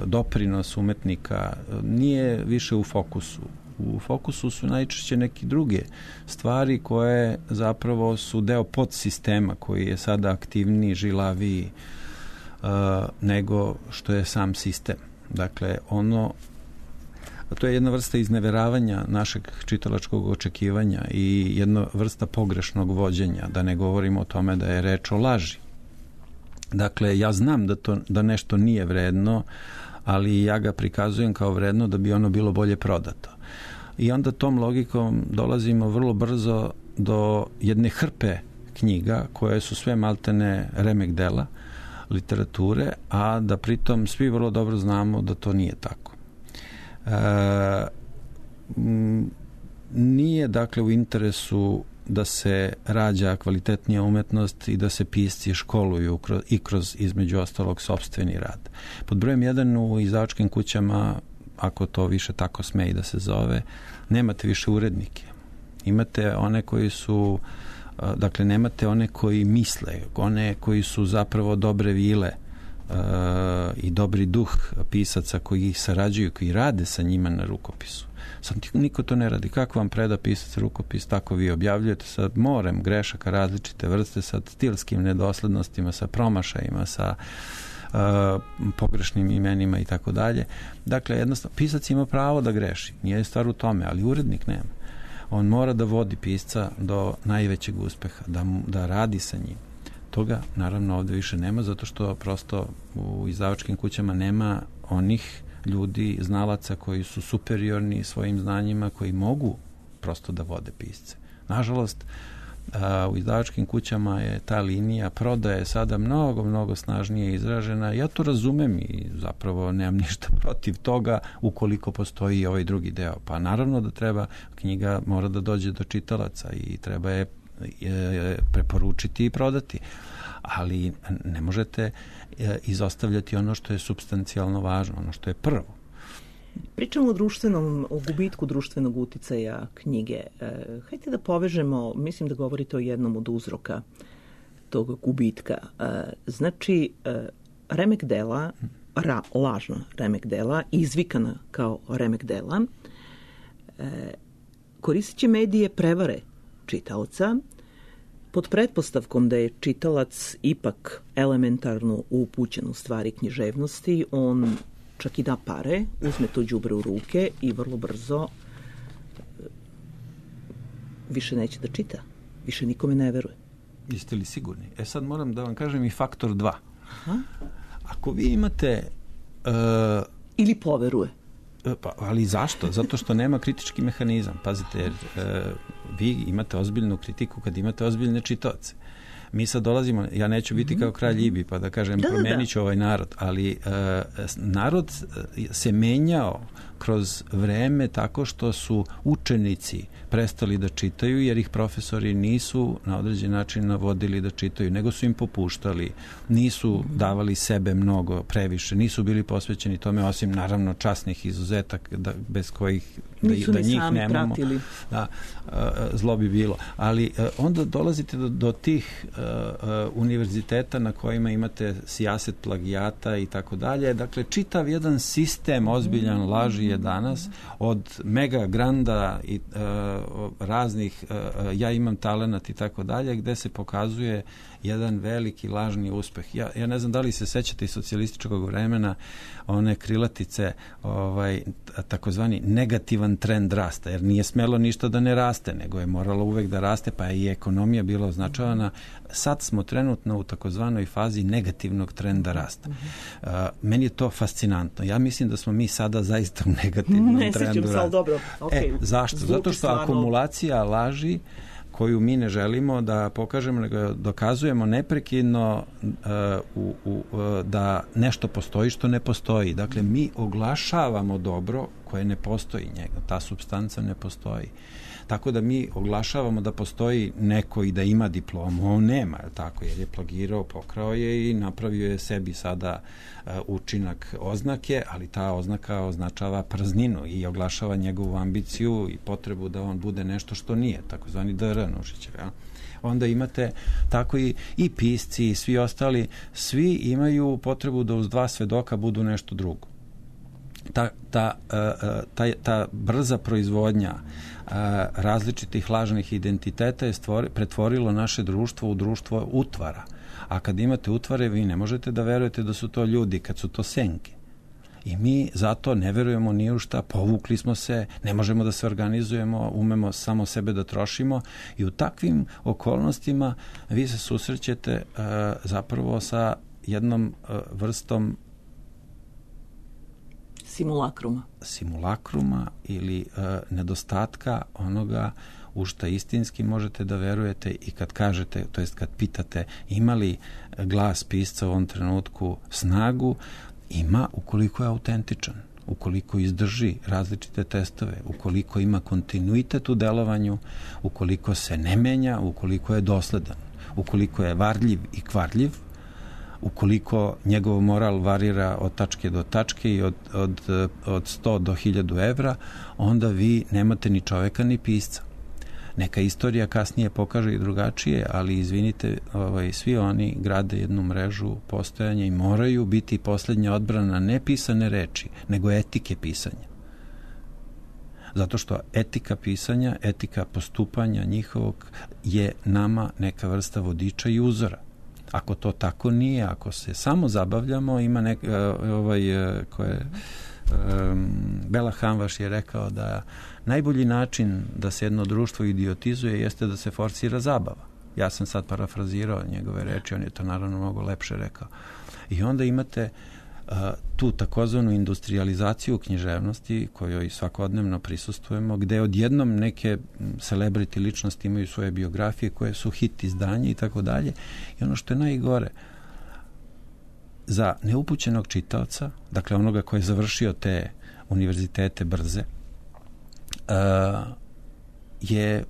doprinos umetnika uh, nije više u fokusu. U fokusu su najčešće neke druge stvari koje zapravo su deo podsistema koji je sada aktivniji, žilaviji uh, nego što je sam sistem. Dakle, ono to je jedna vrsta izneveravanja našeg čitalačkog očekivanja i jedna vrsta pogrešnog vođenja, da ne govorimo o tome da je reč o laži. Dakle, ja znam da, to, da nešto nije vredno, ali ja ga prikazujem kao vredno da bi ono bilo bolje prodato. I onda tom logikom dolazimo vrlo brzo do jedne hrpe knjiga koje su sve maltene remek dela literature, a da pritom svi vrlo dobro znamo da to nije tako. E, m, nije dakle u interesu da se rađa kvalitetnija umetnost i da se pisci školuju kroz, i kroz između ostalog sopstveni rad. Pod brojem jedan u izdavačkim kućama, ako to više tako sme i da se zove, nemate više urednike. Imate one koji su, dakle nemate one koji misle, one koji su zapravo dobre vile uh, i dobri duh pisaca koji ih sarađuju, koji rade sa njima na rukopisu. Sad niko to ne radi. Kako vam preda pisac rukopis, tako vi objavljujete sa morem grešaka različite vrste, sa stilskim nedoslednostima, sa promašajima, sa uh, pogrešnim imenima i tako dalje. Dakle, jednostavno, pisac ima pravo da greši. Nije stvar u tome, ali urednik nema. On mora da vodi pisca do najvećeg uspeha, da, da radi sa njim. Toga, naravno, ovdje više nema, zato što prosto u izdavačkim kućama nema onih ljudi, znalaca koji su superiorni svojim znanjima, koji mogu prosto da vode pisce. Nažalost, a, u izdavačkim kućama je ta linija prodaje sada mnogo, mnogo snažnije izražena. Ja to razumem i zapravo nemam ništa protiv toga ukoliko postoji ovaj drugi deo. Pa naravno da treba, knjiga mora da dođe do čitalaca i treba je, je preporučiti i prodati. Ali ne možete izostavljati ono što je supstancijalno važno, ono što je prvo. Pričamo o društvenom, o gubitku društvenog uticaja knjige. E, hajde da povežemo, mislim da govorite o jednom od uzroka tog gubitka. E, znači, e, remek dela, ra, lažna remek dela, izvikana kao remek dela, e, koristit će medije prevare čitaoca, pod pretpostavkom da je čitalac ipak elementarno upućen u stvari književnosti, on čak i da pare, uzme to đubre u ruke i vrlo brzo više neće da čita. Više nikome ne veruje. Jeste li sigurni? E sad moram da vam kažem i faktor dva. Aha. Ako vi imate... Uh, Ili poveruje. Pa, ali zašto? Zato što nema kritički mehanizam. Pazite, jer e, vi imate ozbiljnu kritiku kad imate ozbiljne čitaoce. Mi sad dolazimo, ja neću biti kao kralj Ibi pa da kažem da, promenit ću da. ovaj narod, ali e, narod se menjao kroz vreme tako što su učenici prestali da čitaju jer ih profesori nisu na određen način navodili da čitaju, nego su im popuštali, nisu davali sebe mnogo, previše, nisu bili posvećeni tome, osim naravno časnih izuzetaka da, bez kojih da, da njih nemamo. Da, zlo bi bilo. Ali onda dolazite do, do tih uh, univerziteta na kojima imate sijaset plagijata i tako dalje. Dakle, čitav jedan sistem ozbiljan laži je danas od mega granda i uh, raznih uh, ja imam talenat i tako dalje, gde se pokazuje jedan veliki lažni uspeh. Ja, ja ne znam da li se sećate iz socijalističkog vremena one krilatice, ovaj, takozvani negativan trend rasta, jer nije smelo ništa da ne raste, nego je moralo uvek da raste, pa je i ekonomija bila označavana. Sad smo trenutno u takozvanoj fazi negativnog trenda rasta. Uh, meni je to fascinantno. Ja mislim da smo mi sada zaista u negativnom ne trendu rasta. Ne, dobro. Okay. E, zašto? Zato što stvarno... akumulacija laži koju mi ne želimo da pokažemo, nego dokazujemo neprekidno uh, u, u, uh, da nešto postoji što ne postoji. Dakle, mi oglašavamo dobro koje ne postoji njega. Ta supstanca ne postoji. Tako da mi oglašavamo da postoji neko i da ima diplomu, on nema, je tako, jer je plagirao, pokrao je i napravio je sebi sada uh, učinak oznake, ali ta oznaka označava prazninu i oglašava njegovu ambiciju i potrebu da on bude nešto što nije, takozvani D R Nušićev. Ja? Onda imate tako i, i pisci i svi ostali, svi imaju potrebu da uz dva svedoka budu nešto drugo. Ta, ta, ta, ta brza proizvodnja različitih lažnih identiteta je stvori, pretvorilo naše društvo u društvo utvara. A kad imate utvare, vi ne možete da verujete da su to ljudi, kad su to senke. I mi zato ne verujemo ni u šta, povukli smo se, ne možemo da se organizujemo, umemo samo sebe da trošimo i u takvim okolnostima vi se susrećete uh, zapravo sa jednom uh, vrstom simulakruma. Simulakruma ili uh, nedostatka onoga u šta istinski možete da verujete i kad kažete, to jest kad pitate ima li glas pisca u ovom trenutku snagu, ima ukoliko je autentičan, ukoliko izdrži različite testove, ukoliko ima kontinuitet u delovanju, ukoliko se ne menja, ukoliko je dosledan, ukoliko je varljiv i kvarljiv, ukoliko njegov moral varira od tačke do tačke i od, od, od sto do hiljadu evra, onda vi nemate ni čoveka ni pisca. Neka istorija kasnije pokaže i drugačije, ali izvinite, ovaj, svi oni grade jednu mrežu postojanja i moraju biti posljednja odbrana ne pisane reči, nego etike pisanja. Zato što etika pisanja, etika postupanja njihovog je nama neka vrsta vodiča i uzora. Ako to tako nije, ako se samo zabavljamo, ima nek, ovaj, koje um, Bela Hamvaš je rekao da najbolji način da se jedno društvo idiotizuje jeste da se forsira zabava. Ja sam sad parafrazirao njegove reči, on je to naravno mnogo lepše rekao. I onda imate uh, tu takozvanu industrializaciju književnosti kojoj svakodnevno prisustvujemo, gde odjednom neke celebrity ličnosti imaju svoje biografije koje su hit izdanje i tako dalje. I ono što je najgore, za neupućenog čitaoca, dakle onoga koji je završio te univerzitete brze, uh, je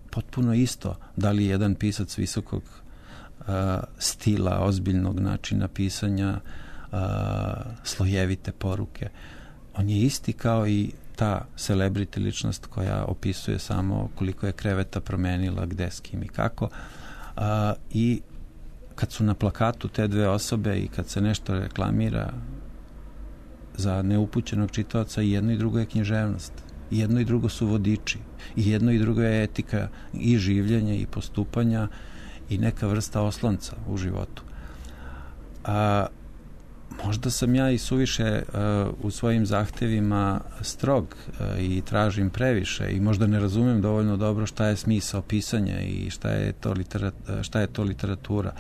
potpuno isto da li je jedan pisac visokog uh, stila, ozbiljnog načina pisanja, uh, slojevite poruke. On je isti kao i ta celebrity ličnost koja opisuje samo koliko je kreveta promenila, gde, s kim i kako. Uh, I kad su na plakatu te dve osobe i kad se nešto reklamira, za neupućenog čitaoca i jedno i drugo je književnost. I jedno i drugo su vodiči. I jedno i drugo je etika i življenja i postupanja i neka vrsta oslonca u životu. A možda sam ja i suviše uh, u svojim zahtevima strog uh, i tražim previše i možda ne razumem dovoljno dobro šta je smisao pisanja i šta je to, literat, šta je to literatura.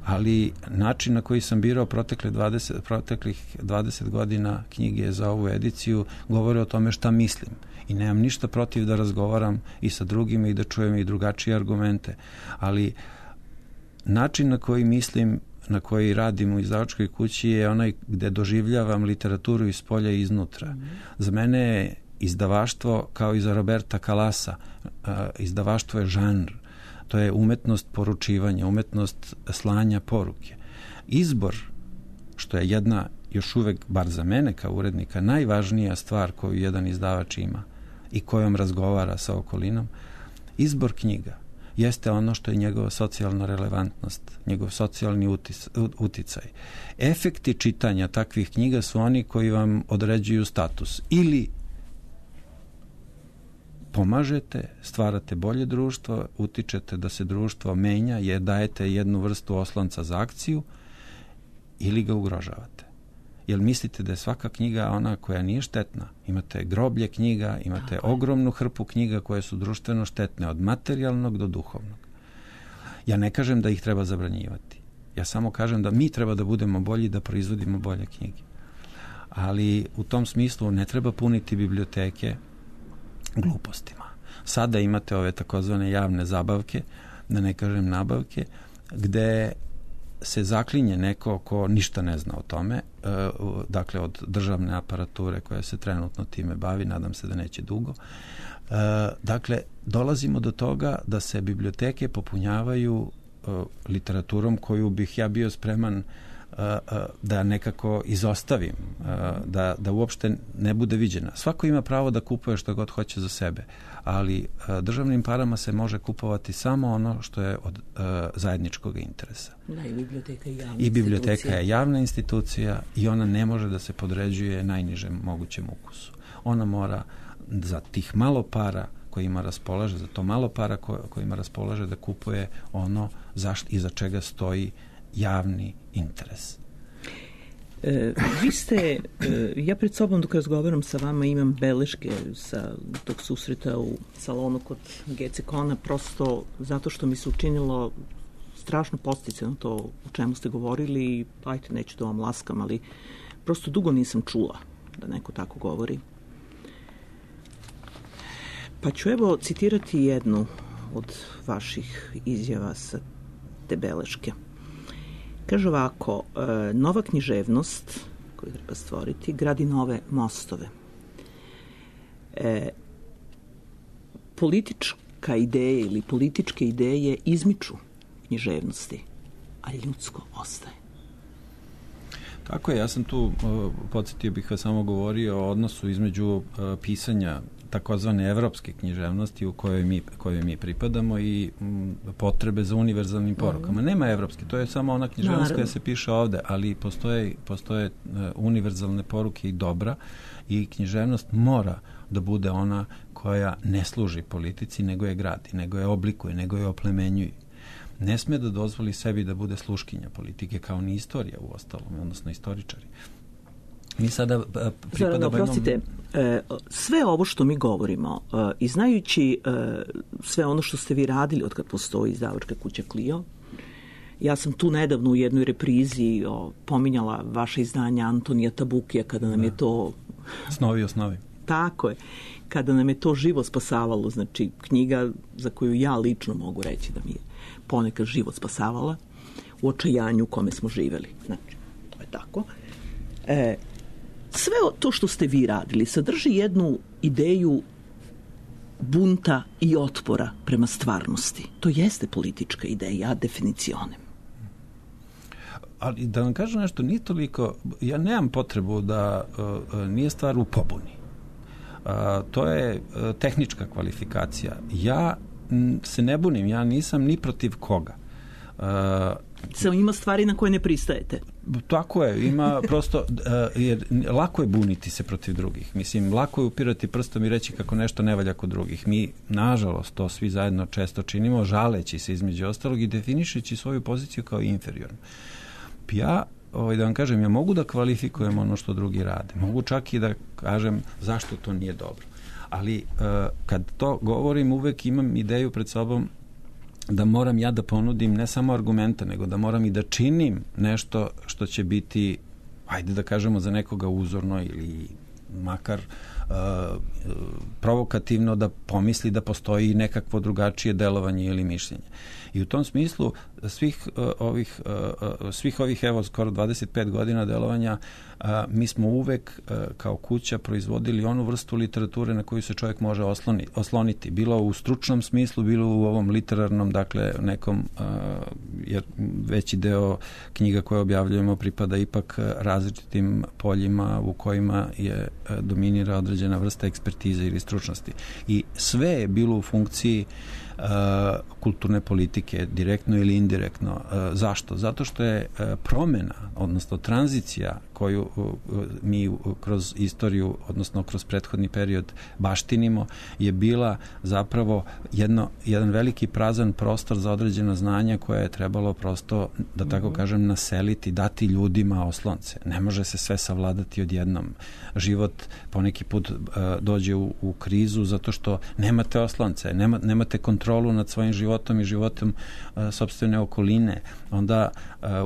Ali način na koji sam birao protekle dvadeset, proteklih dvadeset godina knjige za ovu ediciju govore o tome šta mislim. I nemam ništa protiv da razgovaram i sa drugima i da čujem i drugačije argumente. Ali način na koji mislim, na koji radim u izdavačkoj kući je onaj gde doživljavam literaturu iz polja i iznutra. Mm. Za mene je izdavaštvo, kao i za Roberta Kalasa, izdavaštvo je žanr. To je umetnost poručivanja, umetnost slanja poruke. Izbor, što je jedna, još uvek, bar za mene kao urednika, najvažnija stvar koju jedan izdavač ima i kojom razgovara sa okolinom, izbor knjiga jeste ono što je njegova socijalna relevantnost, njegov socijalni utis, uticaj. Efekti čitanja takvih knjiga su oni koji vam određuju status. Ili pomažete, stvarate bolje društvo, utičete da se društvo menja, je dajete jednu vrstu oslonca za akciju, ili ga ugrožavate. Jel mislite da je svaka knjiga ona koja nije štetna? Imate groblje knjiga, imate ogromnu hrpu knjiga koje su društveno štetne, od materijalnog do duhovnog. Ja ne kažem da ih treba zabranjivati. Ja samo kažem da mi treba da budemo bolji, da proizvodimo bolje knjige. Ali u tom smislu ne treba puniti biblioteke glupostima. Sada imate ove takozvane javne zabavke, da ne kažem nabavke, gde se zaklinje neko ko ništa ne zna o tome, dakle od državne aparature koja se trenutno time bavi, nadam se da neće dugo. Dakle, dolazimo do toga da se biblioteke popunjavaju literaturom koju bih ja bio spreman da nekako izostavim, da, da uopšte ne bude viđena. Svako ima pravo da kupuje što god hoće za sebe, ali državnim parama se može kupovati samo ono što je od uh, zajedničkog interesa. Da, i biblioteka je javna I biblioteka institucija. je javna institucija i ona ne može da se podređuje najnižem mogućem ukusu. Ona mora za tih malo para kojima raspolaže, za to malo para ko, kojima raspolaže da kupuje ono zašto i za čega stoji javni interes. E, vi ste, e, ja pred sobom dok razgovaram sa vama imam beleške sa tog susreta u salonu kod Gecekona, prosto zato što mi se učinilo strašno posticajno to o čemu ste govorili i ajte, neću da vam laskam, ali prosto dugo nisam čula da neko tako govori. Pa ću evo citirati jednu od vaših izjava sa te beleške. Kaže ovako, nova književnost koju treba stvoriti gradi nove mostove. E, politička ideja ili političke ideje izmiču književnosti, ali ljudsko ostaje. Tako je, ja sam tu, uh, podsjetio bih vas samo govorio o odnosu između uh, pisanja takozvane evropske književnosti u kojoj mi, kojoj mi pripadamo i m, potrebe za univerzalnim porukama. Mm. Nema evropske, to je samo ona književnost Naravno. koja se piše ovde, ali postoje, postoje uh, univerzalne poruke i dobra i književnost mora da bude ona koja ne služi politici, nego je gradi, nego je oblikuje, nego je oplemenjuje. Ne sme da dozvoli sebi da bude sluškinja politike, kao ni istorija u ostalom, odnosno istoričari. Mi sada uh, pripadamo Zorano, oprostite, jednom... sve ovo što mi govorimo uh, i znajući uh, sve ono što ste vi radili od kad postoji izdavačka kuća Clio, ja sam tu nedavno u jednoj reprizi o, pominjala vaše izdanje Antonija Tabukija kada nam da. je to... Snovi osnovi. Tako je. Kada nam je to živo spasavalo, znači knjiga za koju ja lično mogu reći da mi je ponekad život spasavala u očajanju u kome smo živeli. Znači, to je tako. E, sve to što ste vi radili sadrži jednu ideju bunta i otpora prema stvarnosti. To jeste politička ideja, definicionem. Ali da vam kažem nešto, nije toliko, ja nemam potrebu da uh, nije stvar u pobuni. Uh, to je uh, tehnička kvalifikacija. Ja m, se ne bunim, ja nisam ni protiv koga. Uh, Samo ima stvari na koje ne pristajete. Tako je, ima prosto, uh, jer lako je buniti se protiv drugih. Mislim, lako je upirati prstom i reći kako nešto ne valja kod drugih. Mi, nažalost, to svi zajedno često činimo, žaleći se između ostalog i definišući svoju poziciju kao inferiornu. Ja, ovaj, da vam kažem, ja mogu da kvalifikujem ono što drugi rade. Mogu čak i da kažem zašto to nije dobro. Ali uh, kad to govorim, uvek imam ideju pred sobom da moram ja da ponudim ne samo argumente, nego da moram i da činim nešto što će biti, ajde da kažemo, za nekoga uzorno ili makar uh, provokativno da pomisli da postoji nekakvo drugačije delovanje ili mišljenje. I u tom smislu svih uh, ovih uh, svih ovih evo skoro dvadeset pet godina delovanja uh, mi smo uvek uh, kao kuća proizvodili onu vrstu literature na koju se čovjek može osloni, osloniti. Bilo u stručnom smislu, bilo u ovom literarnom, dakle nekom, uh, jer veći deo knjiga koje objavljujemo pripada ipak različitim poljima u kojima je uh, dominira određena vrsta ekspertize ili stručnosti. I sve je bilo u funkciji Uh, kulturne politike, direktno ili indirektno. Uh, zašto? Zato što je uh, promena, odnosno tranzicija koju uh, mi uh, kroz istoriju, odnosno kroz prethodni period baštinimo, je bila zapravo jedno, jedan veliki prazan prostor za određena znanja koje je trebalo prosto, da tako mm-hmm. kažem, naseliti, dati ljudima oslonce. Ne može se sve savladati odjednom. Život poneki put život dođe u, u krizu zato što nemate oslonce, nema, nemate kontrolu nad svojim životom i životom sopstvene okoline, onda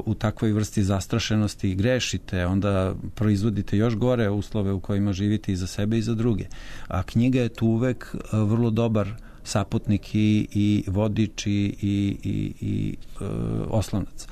u takvoj vrsti zastrašenosti grešite, onda proizvodite još gore uslove u kojima živite i za sebe i za druge. A knjiga je tu uvek vrlo dobar saputnik i, i vodič i, i, i, i e, oslonac.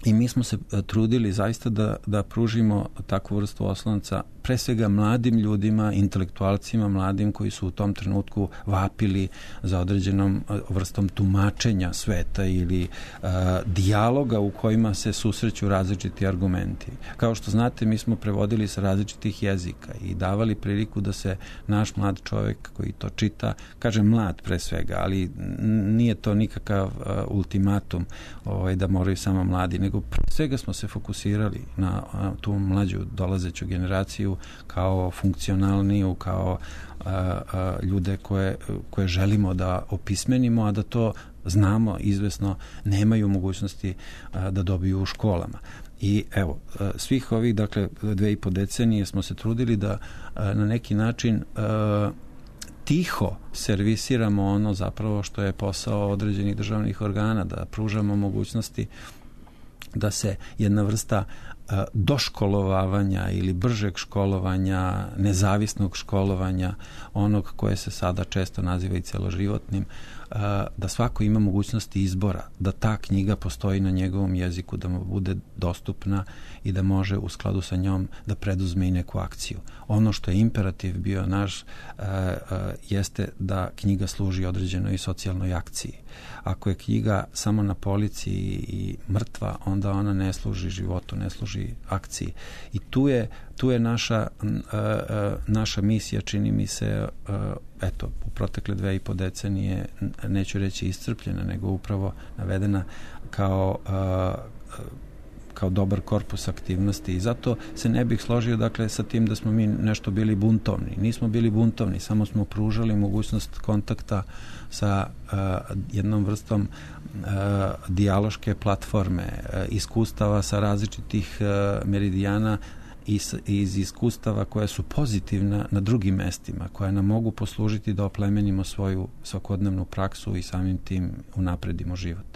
I mi smo se trudili zaista da, da pružimo takvu vrstu oslonca pre svega mladim ljudima, intelektualcima mladim koji su u tom trenutku vapili za određenom vrstom tumačenja sveta ili uh, dijaloga u kojima se susreću različiti argumenti. Kao što znate, mi smo prevodili sa različitih jezika i davali priliku da se naš mlad čovjek koji to čita, kažem mlad pre svega, ali nije to nikakav uh, ultimatum ovaj, da moraju samo mladi, nego pre svega smo se fokusirali na uh, tu mlađu dolazeću generaciju kao funkcionalniju, kao a, a, ljude koje, koje želimo da opismenimo, a da to znamo izvesno nemaju mogućnosti a, da dobiju u školama. I evo, a, svih ovih, dakle, dve i po decenije smo se trudili da a, na neki način a, tiho servisiramo ono zapravo što je posao određenih državnih organa, da pružamo mogućnosti da se jedna vrsta doškolovavanja ili bržeg školovanja, nezavisnog školovanja, onog koje se sada često naziva i celoživotnim, da svako ima mogućnosti izbora, da ta knjiga postoji na njegovom jeziku, da mu bude dostupna i da može u skladu sa njom da preduzme i neku akciju. Ono što je imperativ bio naš jeste da knjiga služi određenoj socijalnoj akciji. Ako je knjiga samo na polici i mrtva, onda ona ne služi životu, ne služi akciji. I tu je, tu je naša, naša misija, čini mi se, eto, u protekle dve i po decenije, neću reći iscrpljena, nego upravo navedena kao kao dobar korpus aktivnosti i zato se ne bih složio dakle sa tim da smo mi nešto bili buntovni. Nismo bili buntovni, samo smo pružali mogućnost kontakta sa uh, jednom vrstom uh, dijaloške platforme, uh, iskustava sa različitih uh, meridijana iz, iz iskustava koja su pozitivna na drugim mestima, koja nam mogu poslužiti da oplemenimo svoju svakodnevnu praksu i samim tim unapredimo život.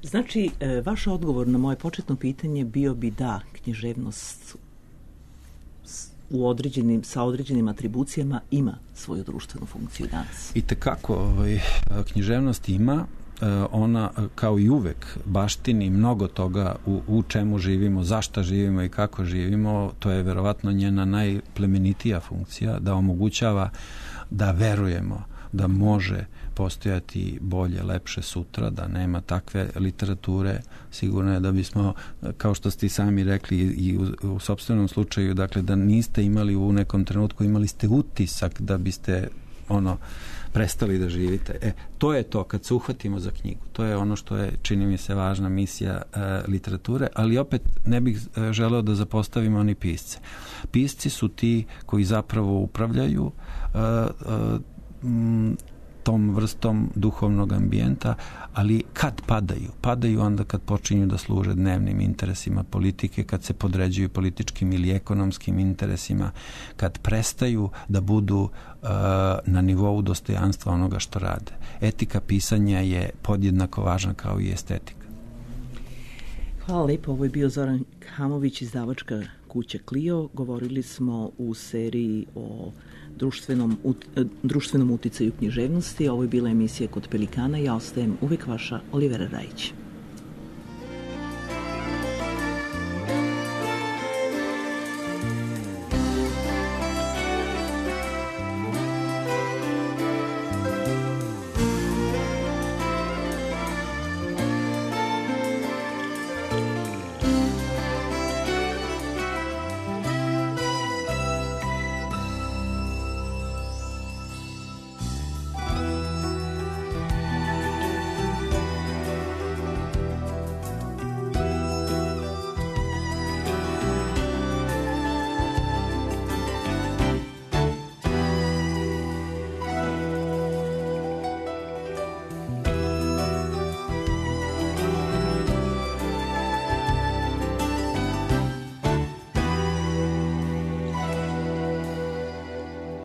Znači, vaš odgovor na moje početno pitanje bio bi da književnost u određenim, sa određenim atribucijama ima svoju društvenu funkciju danas. I tekako ovaj, književnost ima, ona kao i uvek baštini mnogo toga u, u čemu živimo, zašta živimo i kako živimo. To je verovatno njena najplemenitija funkcija, da omogućava da verujemo da može postojati bolje, lepše sutra, da nema takve literature. Sigurno je da bismo, kao što ste i sami rekli i u, u sopstvenom slučaju, dakle da niste imali u nekom trenutku, imali ste utisak da biste ono prestali da živite. E, to je to kad se uhvatimo za knjigu. To je ono što je, čini mi se, važna misija e, literature, ali opet ne bih e, želeo da zapostavimo ni pisce. Pisci su ti koji zapravo upravljaju e, e, m, tom vrstom duhovnog ambijenta, ali kad padaju? Padaju onda kad počinju da služe dnevnim interesima politike, kad se podređuju političkim ili ekonomskim interesima, kad prestaju da budu uh, na nivou dostojanstva onoga što rade. Etika pisanja je podjednako važna kao i estetika. Hvala lepo. Ovo je bio Zoran Hamović, izdavačka kuća Clio. Govorili smo u seriji o društvenom, društvenom uticaju književnosti. Ovo je bila emisija Kod Pelikana. Ja ostajem uvek vaša Olivera Rajić.